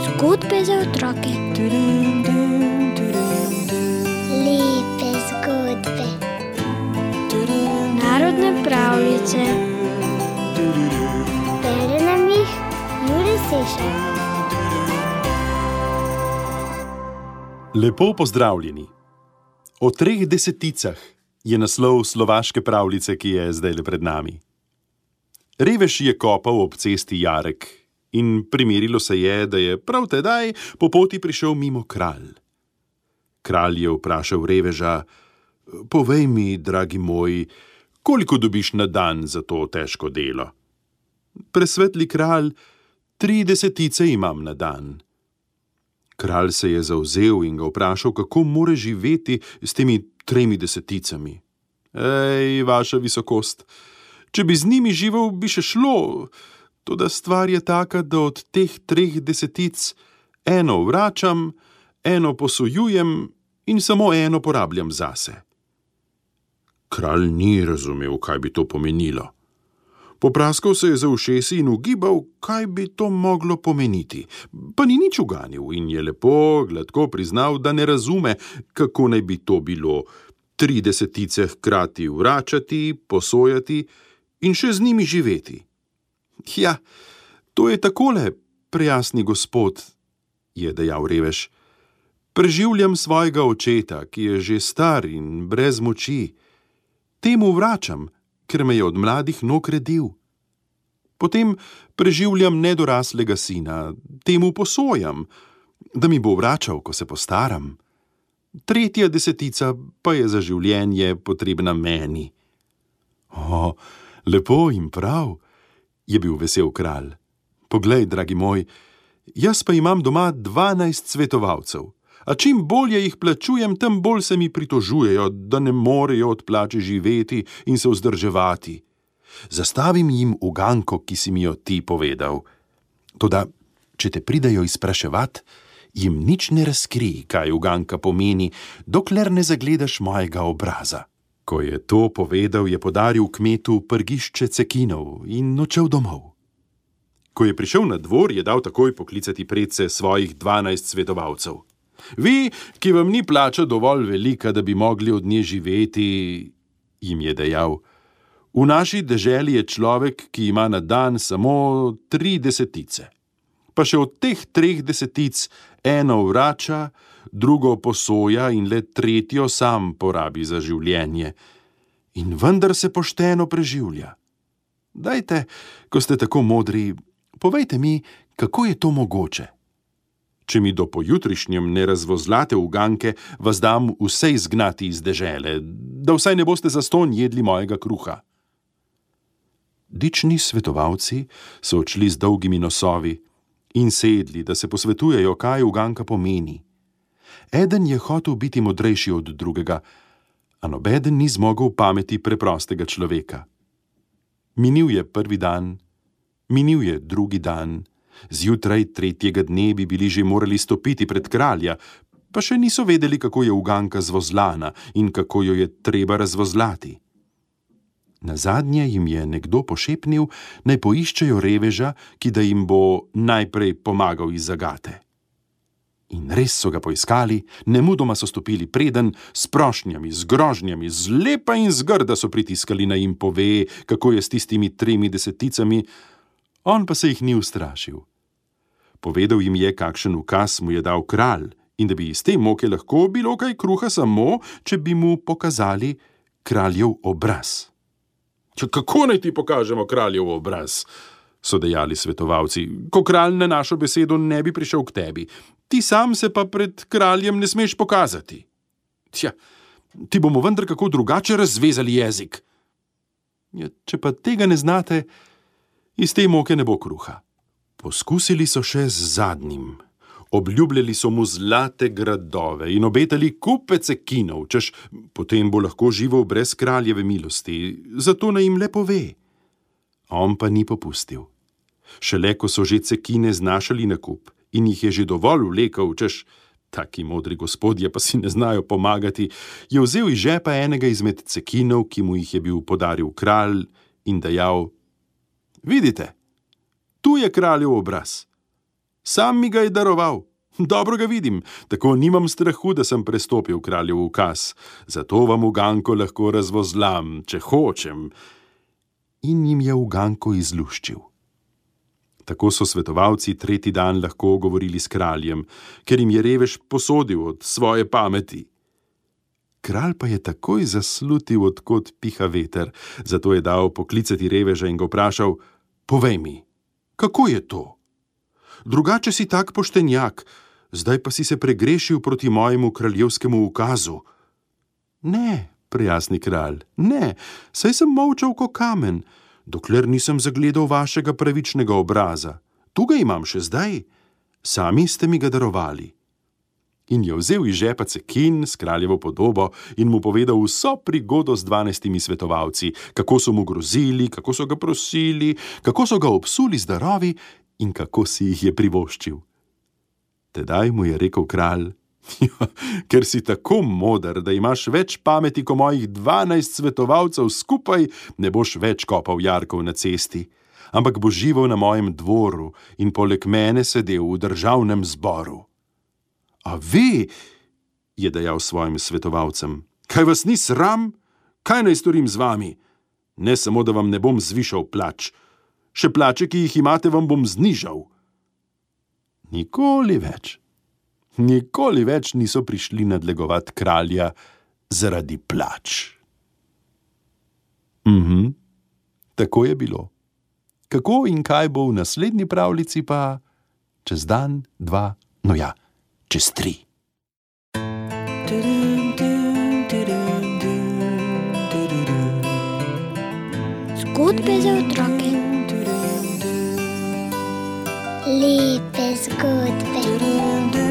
Zgodbe za otroke. Lepe zgodbe. Narodne pravljice. Bere nam jih Jure Sešar. Lepo pozdravljeni. O 3 deseticah je naslov slovaške pravljice, ki je zdajle pred nami. Revež je kopal ob cesti jarek in primerilo se je, da je prav tedaj po poti prišel mimo kralj. Kralj je vprašal reveža: povej mi, dragi moj, koliko dobiš na dan za to težko delo? Presvetli kralj, 3 desetice imam na dan. Kralj se je zavzel in ga vprašal, kako more živeti s temi 3 deseticami. Ej, vaša visokost, če bi z njimi živel, bi še šlo, toda stvar je taka, da od teh 3 desetic eno vračam, eno posojujem in samo eno porabljam zase. Kralj ni razumel, kaj bi to pomenilo. Popraskal se je za ušesi in ugibal, kaj bi to moglo pomeniti, pa ni nič uganil in je lepo, gladko priznal, da ne razume, kako naj bi to bilo 3 desetice hkrati vračati, posojati in še z njimi živeti. Ja, to je takole, prejasni gospod, je dejal revež. Preživljam svojega očeta, ki je že star in brez moči. Temu vračam, ker me je od mladih nog redil. Potem preživljam nedoraslega sina, temu posojam, da mi bo vračal, ko se postaram. 3 desetica pa je za življenje potrebna meni. O, lepo in prav, je bil vesel kralj. Poglej, dragi moj, jaz pa imam doma 12 svetovalcev, a čim bolje jih plačujem, tem bolj se mi pritožujejo, da ne morejo od plače živeti in se vzdrževati. Zastavim jim uganko, ki si mi jo ti povedal. Toda, če te pridejo izpraševat, jim nič ne razkrij, kaj uganka pomeni, dokler ne zagledaš mojega obraza. Ko je to povedal, je podaril kmetu prgišče cekinov in odšel domov. Ko je prišel na dvor, je dal takoj poklicati predse svojih 12 svetovalcev. Vi, ki vam ni plača dovolj velika, da bi mogli od nje živeti, jim je dejal, v naši deželi je človek, ki ima na dan samo 3 desetice. Pa še od teh 3 desetic eno vrača, drugo posoja in le 3 sam porabi za življenje. In vendar se pošteno preživlja. Dajte, ko ste tako modri, povejte mi, kako je to mogoče. Če mi do pojutrišnjem ne razvozlate uganke, vas dam vse izgnati iz dežele, da vsaj ne boste zastonj jedli mojega kruha. Dični svetovalci so odšli z dolgimi nosovi in sedli, da se posvetujejo, kaj uganka pomeni. Eden je hotel biti modrejši od drugega, a nobeden ni zmogel pameti preprostega človeka. Minil je 1. dan, minil je 2. dan, zjutraj 3. dne bi bili že morali stopiti pred kralja, pa še niso vedeli, kako je uganka zvozlana in kako jo je treba razvozlati. Nazadnje jim je nekdo pošepnil, naj poiščejo reveža, ki da jim bo najprej pomagal iz zagate. In res so ga poiskali, nemudoma so stopili preden, s prošnjami, z grožnjami, zlepa in zgrda so pritiskali, naj jim pove, kako je s tistimi 3 deseticami, on pa se jih ni ustrašil. Povedal jim je, kakšen ukaz mu je dal kralj in da bi iz te moke lahko bilo kaj kruha samo, če bi mu pokazali kraljev obraz. Kako naj ti pokažemo kraljev obraz, so dejali svetovalci, ko kralj na našo besedo ne bi prišel k tebi. Ti sam se pa pred kraljem ne smeš pokazati. Tja, ti bomo vendar kako drugače razvezali jezik. Ja, če pa tega ne znate, iz te moke ne bo kruha. Poskusili so še z zadnjim. Obljubljali so mu zlate gradove in obetali kupe cekinov, češ potem bo lahko živel brez kraljeve milosti, zato naj jim le pove. On pa ni popustil. Šele ko so že cekine znašali na kup in jih je že dovolj vlekel, češ taki modri gospodje pa si ne znajo pomagati, je vzel iz žepa enega izmed cekinov, ki mu jih je bil podaril kralj, in dejal: Vidite, tu je kraljev obraz. Sam mi ga je daroval. Dobro ga vidim, tako nimam strahu, da sem prestopil kraljev ukaz. Zato vam uganko lahko razvozlam, če hočem. In jim je uganko izluščil. Tako so svetovalci tretji dan lahko govorili s kraljem, ker jim je revež posodil od svoje pameti. Kralj pa je takoj zaslutil, od kod piha veter, zato je dal poklicati reveža in ga vprašal: povej mi, kako je to? Drugače si tak poštenjak, zdaj pa si se pregrešil proti mojemu kraljevskemu ukazu. Ne, prijasni kralj, ne, saj sem molčal ko kamen, dokler nisem zagledal vašega pravičnega obraza. Tu ga imam še zdaj, sami ste mi ga darovali. In je vzel iz žepa cekin s kraljevo podobo in mu povedal vso prigodo z 12 svetovalci, kako so mu grozili, kako so ga prosili, kako so ga obsuli z darovi in kako si jih je privoščil. Tedaj mu je rekel kralj: ker si tako moder, da imaš več pameti ko mojih 12 svetovalcev skupaj, ne boš več kopal jarkov na cesti, ampak boš živel na mojem dvoru in poleg mene sedel v državnem zboru. A vi, je dejal svojim svetovalcem, kaj vas ni sram? Kaj naj storim z vami? Ne samo, da vam ne bom zvišal plač, še plače, ki jih imate, vam bom znižal. Nikoli več niso prišli nadlegovat kralja zaradi plač. Tako je bilo. Kako in kaj bo v naslednji pravljici pa čez dan, 2, no ja, čez 3. Zgodbe za otroke. Lepe zgodbe.